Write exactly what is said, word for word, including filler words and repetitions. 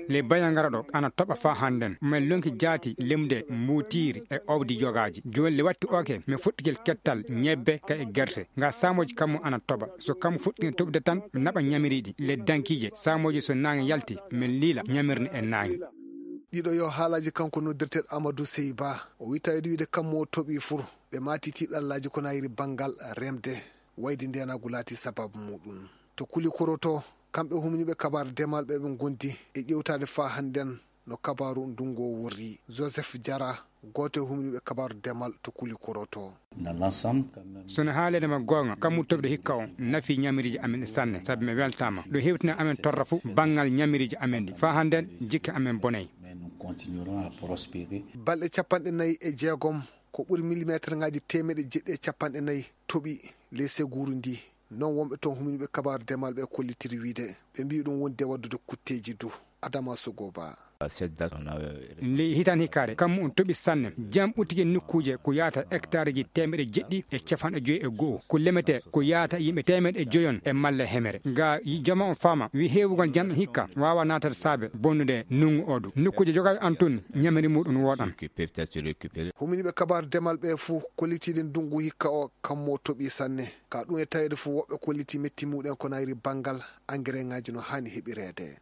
Le bayangara ɗo ana toɓa faa hannden. Men lonki jaati lemde mbuutiiri e owdi jogaaji. Jooni le watti oke, mi fuɗɗigel kettal ñebbe ka e gerte. Nga saamooji kammu ana toɓa. So kammu fuɗɗi toɓde tan, mi naɓa ñamiriiɗi. Le dankiije, saamooji so naange yalti, mi liila ñamirni e naange. Ɗiɗo yo haalaaji kanko noddirteeɗo Amadou Sey Ba. O wittaade wiide kammu o toɓi fur. Ɓe maati tiiɗallaaji ko nayri banngal remde. Wayde ndeenaagu laati sababu muɗum. To Kuli Koroto, kamɓe humniiɓe kabaar demal ɓe ɓe ngondi e ƴewtaade faa hannden no kabaaru ndungu o worri. Joseph Jara, gooto e humniiɓe kabaaru demal to Kuli Koroto. Sono haaleede ma goonga, kammu toɓde hikka o nafi ñamiriiji amen sanne, sabi mi weltaama. Ɗo hewtina amen torra fu banngal ñamiriiji amen ɗi. Faa hannden jikke amen bonay. Balɗe capanɗe nayi e jeegom, ko ɓuri millimetre ngaji teemeɗe jeɗɗi e capanɗe nayi toɓi ley seguuru ndi. Non wonɓe toon humniiɓe kabaaru demal ɓe kollitiri wiide ɓe mbiyi ɗum wonde waddude kutteeji du. Adama Sogoba. Nde hitan hikkaare, kammu on toɓi sanne. Jam ɓuttike nokkuuje ko yaata hectareji teemeɗe jeɗɗi e capanɗe joyi e go'o. Ko lemete ko yaata yimɓe teemeɗe joyon e malle hemere. Ga jama on faama, wi heewugol jam hikka waawa naatade saabe bonnude nungu o du. Nokkuuje jogaaɗe an tun, ñamiri muɗum wooɗan. Humniiɓe kabaaru demal ɓe fuu kollitiiɗi ndungu hikka o kammu o toɓi sanne. Ka ɗum e taweede fuu woɓɓe kolliti metti muɗen ko nayri banngal engrais ngaji no haani heɓireede.